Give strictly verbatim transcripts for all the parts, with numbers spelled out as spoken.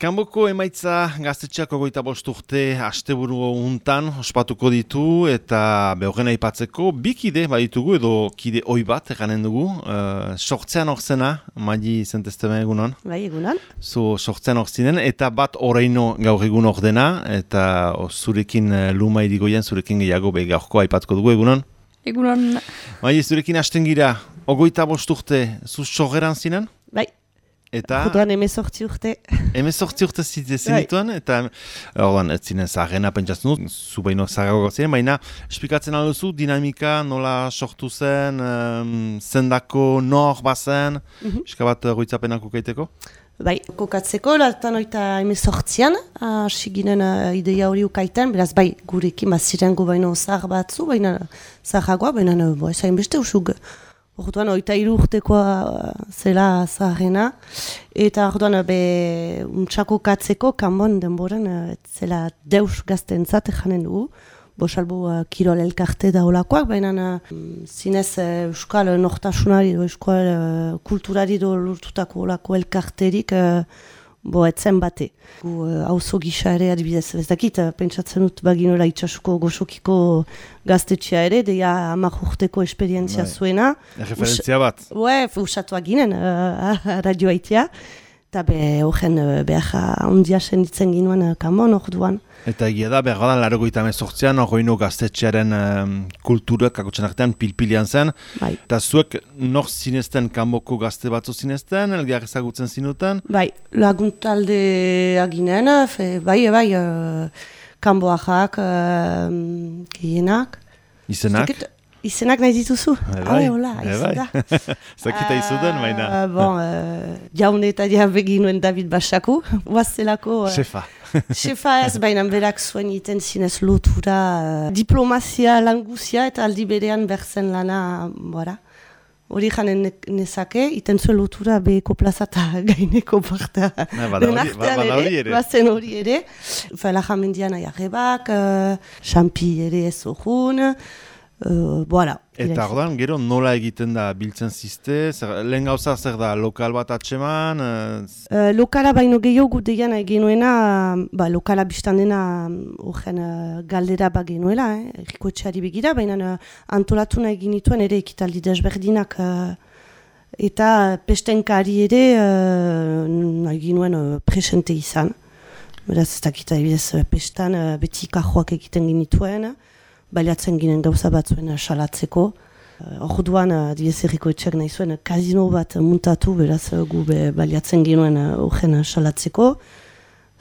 Kanboko emaitza gaztetxeako goita bost urte asteburu untan ospatuko ditu eta behorren aipatzeko bi kide baditugu edo kide oi bat eganen dugu. Uh, sortzean orzena, Maili zentezteme egunon. Bai, egunon. Zu sortzean orzinen eta bat oraino gaur egun ordena eta o, zurekin uh, luma irigoien, zurekin gehiago be gaurko aipatuko dugu egunon. Egunon. Maili, zurekin hasten gira, ogoita bost urte, zu sorgeran zinen? Bai. Eta Orduan emezortzi urte. Emezortzi urte zenituen, eta orduan ez zinen zaharrena pentsatzen dut, zu baino zaharrago ziren, baina esplikatzen alduzu dinamika nola sortu zen, um, zendako nor bazen, Mhm. pixka bat goitzapenak ukaiteko? Bai, kokatzeko, latan oita emezortzian, hasi ginen uh, ideia hori ukaiten, beraz bai, gurekin bazirengo baino zahar batzu, baina zaharragoa, baina uh, bo, ezain beste usug. Orduan, oita hiru urtekoa uh, zela zaharrena, eta orduan be untxako katzeko, kanbon denboran, uh, zela deus gaztentzat janen dugu, bosalbo uh, kirol elkarte da olakoak, baina uh, zinez uh, euskal nortasunari, euskal uh, kulturari do lortutako olako elkarterik, uh, bo etzen bate. Gu hauzo uh, gisa ere adibidez, ez dakit, uh, pentsatzen dut baginola itxasuko gosokiko gaztetxea ere, deia hamar urteko esperientzia zuena. Referentzia bat. Ue, usatuak ginen, uh, radioa itea. Eta be, horren uh, behar handia senditzen ginoen uh, kanbon orduan. Eta egia da, behar gadan larogoita emezortzian, horreino gaztetxearen um, kulturak kakotxen artean pilpilian zen. Bai. Eta zuek nor zinezten kanboko gazte batzu zinezten, elgar ezagutzen zinuten? Bai, laguntalde aginen, fe, bai, bai, uh, kanboajak, uh, gehienak. Izenak? Zekit, izenak nahi dituzu? Bai, hola, bai. Zakita izuden, baina. Uh, bon, uh, jaune eta diabe ginuen David Basaku, huazelako... Uh, Shefa. Shefa ez, baina berak zuen iten zinez lotura, uh, diplomazia languzia eta aldi berean berzen lana, bora. Hori janen nezake, iten zuen lotura beheko plaza eta gaineko parta. Bada hori ere. Bazen hori ere. Fela jamendian aiarrebak, uh, Xampi ere ez orun, uh, voilà. Eta ordan, gero nola egiten da biltzen ziste? Zer, lehen gauza zer da, lokal bat atseman? Uh, lokala baino gehiago deian genuena, ba, lokala biztan dena horren uh, galdera ba genuela, eh, errikoetxeari begira, baina uh, antolatu nahi ginituen ere ekitaldi desberdinak uh, eta pestenkari ere uh, nahi ginuen uh, presente izan. Beraz ez dakita ebidez pestan uh, beti kajoak egiten ginituen, baliatzen ginen gauza batzuen salatzeko. Orduan, adibidez errikoetxeak nahi zuen, kasino bat muntatu, beraz gu be baliatzen ginen horren salatzeko.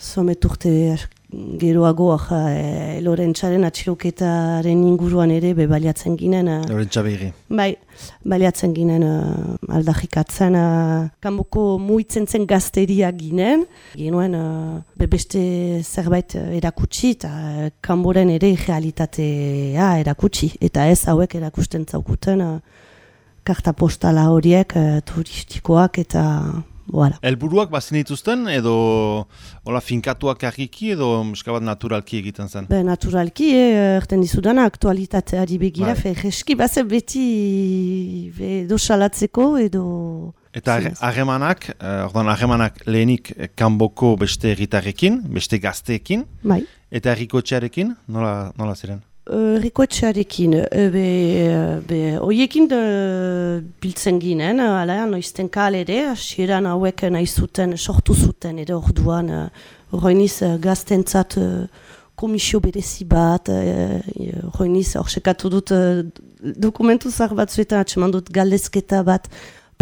Zomet urte geroago, e, Lorentzaren atxiloketaren inguruan ere be baliatzen ginen. Lorentza behiri. Bai, baliatzen ginen uh, aldarrikatzen, uh, kanboko muitzen zen gazteria ginen. Genuen uh, beste zerbait erakutsi eta uh, kanboren ere realitatea erakutsi. Eta ez hauek erakusten zaukuten uh, karta postala horiek uh, turistikoak eta... Voilà. Elburuak bazin dituzten edo hola finkatuak argiki edo muskabat naturalki egiten zen? Be, naturalki, eh, erten dizudana aktualitateari begira, fe, jeski bazen beti edo salatzeko edo... Eta harremanak, eh, ordan harremanak lehenik kanboko beste herritarrekin, beste gazteekin, bai. Eta herrikoetxearekin, nola, nola ziren? Herrikoetxearekin, be, be, oiekin de, biltzen ginen, ala, noizten kalere, hasieran hauek nahi zuten, sortu zuten, edo orduan, horreiniz gaztentzat komisio berezi bat, horreiniz horsekatu dut dokumentu zar batzuetan, atseman dut galdezketa bat,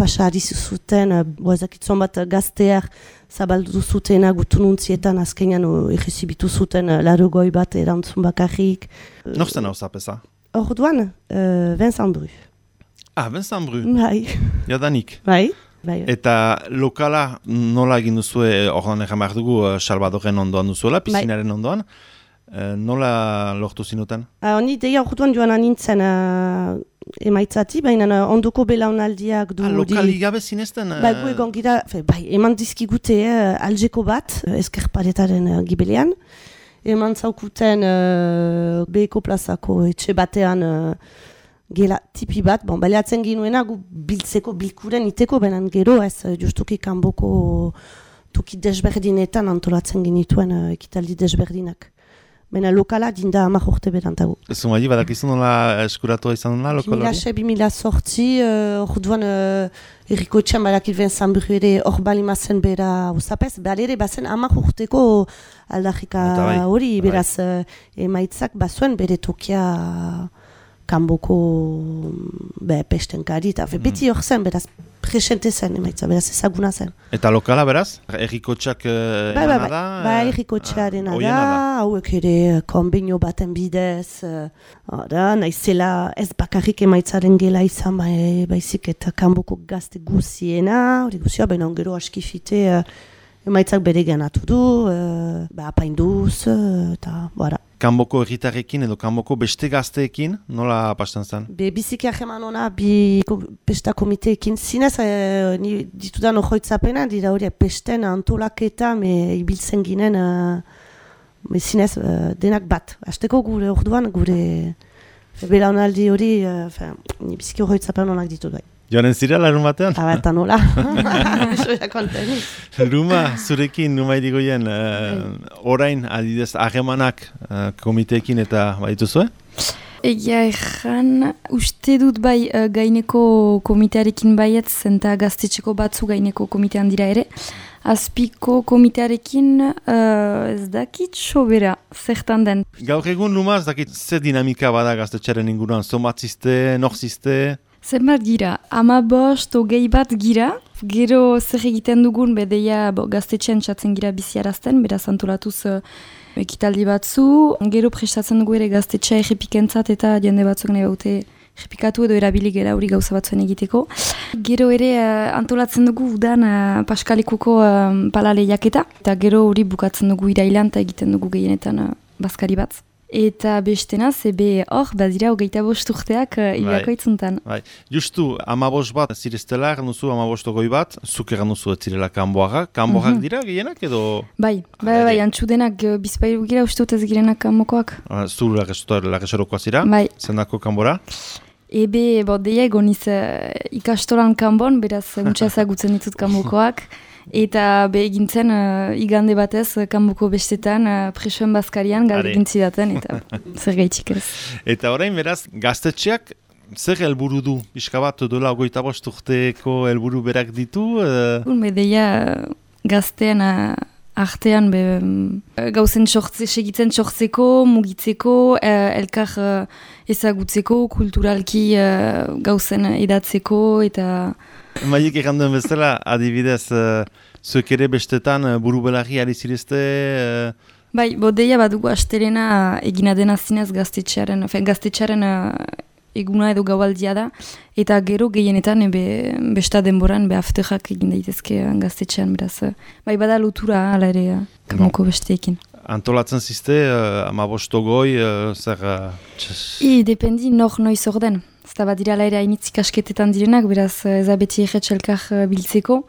pasari zuten, boazakitzon bat gazteak zabaldu zutena gutununtzietan azkenean egizibitu zuten larogoi bat erantzun bakarrik. Nortzen hau zapesa? Orduan, uh, Vincent Bru. Ah, Vincent Bru? Bai. Jadanik? Bai. Bai. Eta lokala nola egin duzue, orduan egin behar dugu, Salvadoren ondoan duzuela, pizinaren ondoan. Uh, nola lortu zinuten? Uh, Honi deia orduan joan anintzen uh, emaitzati, baina uh, ondoko belaunaldiak du... Ah, lokali gabe zinezten? Uh... Bai, gu egon gira, fe, bai, eman dizkigute uh, aljeko bat, uh, eskerparetaren uh, gibelean. Eman zaukuten uh, beheko plazako etxe batean uh, gela tipi bat, bon, baliatzen ginuena gu biltzeko, bilkuren iteko, benan gero ez justuki kanboko toki desberdinetan antolatzen genituen uh, ekitaldi desberdinak. Baina lokala dinda hamar urte berantago. Zumai, badakizu nola eskuratu izan nola lokal hori? bi mila sortzi, orduan errikotxean badakit Vincent Bru ere hor balimazen bera usapez, behar ere bazen hamar urteko aldajika hori, beraz emaitzak bazuen bere tokia kanboko be, pestenkari, eta beti hor zen, beraz presente zen emaitza, beraz ezaguna zen. Eta lokala beraz? Errikotxak uh, ba, ba, ba, da? Ba, errikotxearena da, hauek ere konbenio baten bidez, uh, da, naizela ez bakarrik emaitzaren gela izan, ba, e, baizik eta kanboko gazte guziena, hori guzia, baina ongero askifite uh, emaitzak bere genatu du, uh, ba, apainduz, uh, eta, bara. Kanboko erritarrekin edo kanboko beste gazteekin, nola pasten zen? Be, biziki aheman ona, bi pesta komiteekin zinez, e, ni ditudan ojoitzapena, dira hori pesten antolaketa, me ibiltzen ginen, e, zinez, e, denak bat. Azteko gure orduan, gure belaunaldi hori, e, ni biziki ojoitzapen onak ditu bai. Joanen zira larun batean? Aba, eta nola. Soia konteni. Ruma, zurekin, numai digoien, uh, orain, adidez, ahemanak uh, komiteekin eta badituzue? Egia erran, uste dut bai uh, gaineko komitearekin baiet, zenta gaztetxeko batzu gaineko komitean dira ere. Azpiko komitearekin uh, ez dakit sobera, zertan den. Gaur egun, Ruma, ez dakit ze dinamika bada gaztetxaren inguruan, zomatzizte, norzizte? Zenbat gira, ama bost, ogei bat gira, gero zer egiten dugun, bedeia gaztetxean txatzen gira biziarazten, beraz antolatuz uh, ekitaldi batzu, gero prestatzen dugu ere gaztetxea egipikentzat eta jende batzuk nahi baute egipikatu edo erabili gera hori gauza batzuen egiteko. Gero ere uh, antolatzen dugu udan uh, Paskalikuko uh, palale jaketa, eta gero hori bukatzen dugu irailan eta egiten dugu gehienetan uh, bazkari bat. Eta bestena, zebe hor, badira hogeita bost urteak uh, ibiako itzuntan. Bai. Justu, amabost bat zireztela, erranduzu amabost ogoi bat, zuk erranduzu ez zirela kanboarak. Kanboarak mm-hmm. dira gehienak edo? Bai, bai, bai, antxudenak uh, bizpailu gira uste dut ez girenak kanbokoak. Uh, zu lagesorokoa zira? Bai. Zendako kanbora? Ebe, bo, deia egoniz uh, ikastolan kanbon, beraz, untsa ezagutzen ditut kanbokoak. Eta be egintzen uh, igande batez uh, kanboko bestetan uh, presoen bazkarian galdekin zidaten eta zer gaitxik ez. Eta orain beraz gaztetxeak zer helburu du? Pixka bat dola hogeita bost urteko helburu berak ditu? Uh... Be deia gaztean uh, artean be, um, gauzen sortze, segitzen sortzeko, mugitzeko, uh, elkar uh, ezagutzeko, kulturalki uh, gauzen edatzeko eta... Maik erranduen bezala, adibidez, uh, zuek ere bestetan uh, buru belarri ari zirezte? Uh... Bai, bodeia badugu astelena egina dena zinez gaztetxearen, gaztetxearen uh, eguna edo gaualdia da, eta gero gehienetan ebe, besta denboran be afterrak egin daitezke gaztetxean, beraz. Uh, bai, bada lotura ala ere uh, kanboko besteekin. Antolatzen zizte, uh, amabostogoi, uh, zer... Uh, I, dependi nor noiz orden. Zta bat dira laire hainitzik asketetan direnak, beraz ezabeti erretx elkar uh, biltzeko.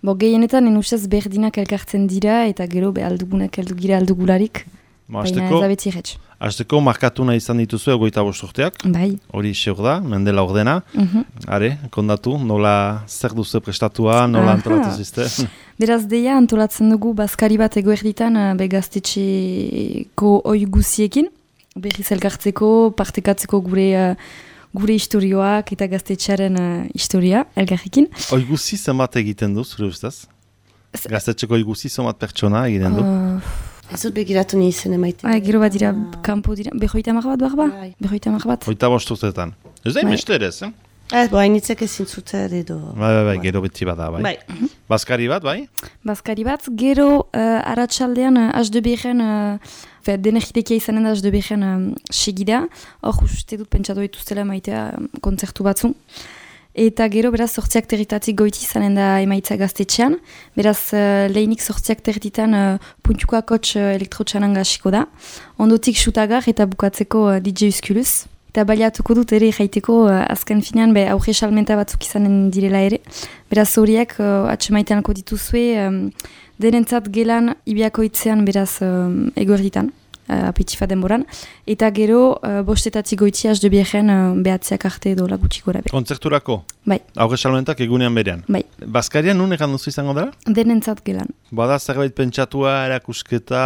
Bo gehienetan enustez berdinak elkartzen dira eta gero be aldugunak eldugira aldugularik. Baina ezabeti erretx. Azteko markatuna izan dituzu egoita bost urteak. Bai. Hori seur da, mendela ordena. Uh-huh. Are, kondatu, nola zer duzu prestatua, nola antolatu zizte? Beraz deia antolatzen dugu bazkari bat egoerditan uh, be gaztetxeko oi guziekin. Berriz elkartzeko, partekatzeko gure... Uh, gure historioak eta gaztetxearen uh, historia, elgarrekin. Oiguzi zenbat egiten du, zure ustez? Gaztetxeko oiguzi zenbat pertsona egiten du? Uh, ez dut begiratu ni izen emaiten. Ah, gero bat dira, kanpo dira, behoita mar bat, barba? Behoita mar bat. Hoita bost urteetan. Ez da imeste ere, eh? Ez, bo, hainitzek ezin zuten edo... Bai, bai, bai, gero beti bada, bai. Bai. Bazkari bat, bai? Bazkari bat, gero uh, aratsaldean uh, H D B-en, uh, fe, denergitekia izanen da H D B-en uh, segida, hor uste dut pentsatu dituztela maitea um, kontzertu batzu. Eta gero, beraz, sortziak territatik goiti izanen da emaitza gaztetxean. Beraz, uh, lehinik sortziak territan uh, puntuko akotx uh, elektrotxanan gasiko da. Ondotik xutagar eta bukatzeko uh, D J Uskulus. Eta baliatuko dut ere jaiteko uh, azken finean be aurre salmenta batzuk izanen direla ere. Beraz horiek uh, atxemaiteanko dituzue um, denentzat gelan ibiako itzean beraz um, eguerditan. uh, apetifa denboran. Eta gero, uh, bostetatzi goitzi az de biegen uh, behatziak arte edo lagutxiko erabe. Kontzerturako? Bai. Aurre salmentak egunean berean? Bai. Baskarian nun egan duzu izango dara? Denentzat gelan. Bada zerbait pentsatua, erakusketa...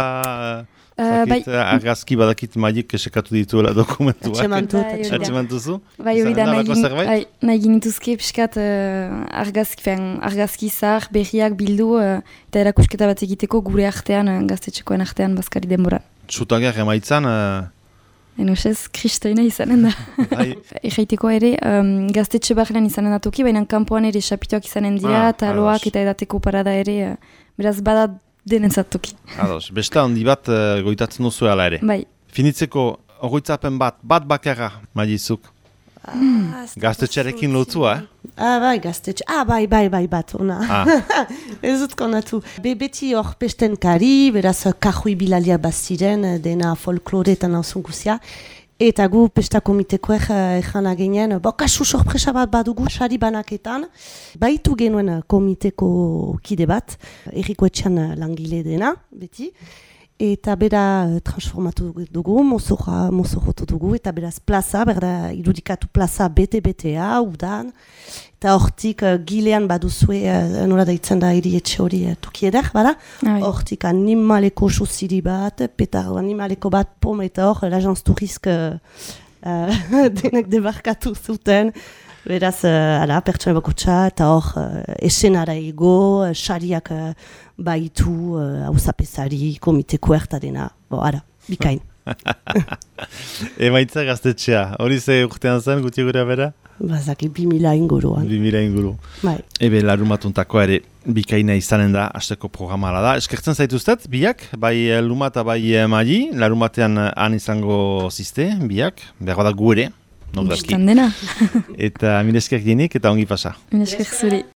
Uh, Zakit, bai. argazki badakit maik esekatu dituela dokumentuak. Atxemantu. Atxemantuzu? Bai, hori da, nahi, gin, zerbait? bai, nahi ginituzke pixkat uh, argazki, fen, argazki zahar, berriak bildu uh, eta erakusketa bat egiteko gure artean, uh, gaztetxekoen artean Baskari denboran. Txutagiak emaitzan... Uh... Enosez, kristoina izanen da. Bai. Egeiteko ere, um, gaztetxe barrean izanen da toki, baina kanpoan ere xapituak izanen dira, Ah, taloak ados. eta edateko parada ere, uh, beraz bada denentzat toki. Ados, beste handi bat uh, goitatzen duzu ala ere. Bai. Finitzeko, hogeitzapen bat, bat bakarra, Mailizuk. Ah, Gaztetxearekin lotzua, eh? Ah, bai, gaztetxe. Ah, bai, bai, bai, bat, ona. Ah. Ez dut konatu. Be, beti hor pesten kari, beraz, kajui bilalia baziren, dena folklore eta nauzun guzia. Eta gu pesta komitekoek ezan agenean, bo, kasu sorpresa bat badugu sari banaketan. Baitu genuen komiteko kide bat, erriko etxean langile dena, beti. Eta bera transformatu dugu, mozorra, mozorrotu dugu, eta beraz plaza, berda irudikatu plaza bete-betea, udan. Eta hortik uh, gilean baduzue, uh, nola daitzen da hiri etxe hori uh, tukieder, bada? Hortik animaleko susiri bat, petar animaleko bat pom eta hor, l'agence tourisk uh, uh, denek debarkatu zuten. Beraz, uh, ala, pertsona bakotxa, eta hor, uh, esenara ego, uh, xariak uh, baitu, hauzapezari, uh, komiteko erta dena. Bo, ara, bikain. Emaitza gaztetxea, hori ze urtean zen, guti gure bera? Bazaki, bi mila inguruan. Bi mila inguru. Bai. Ebe, larumatuntako ere, bikaina izanen da, hasteko programala da. Eskertzen zaituztet, biak, bai Luma eta bai Maili, larumatean han izango ziste, biak, behar da gu ere. Bistan dena. Eta mil esker dienik eta ongi pasa. Mil esker zuri.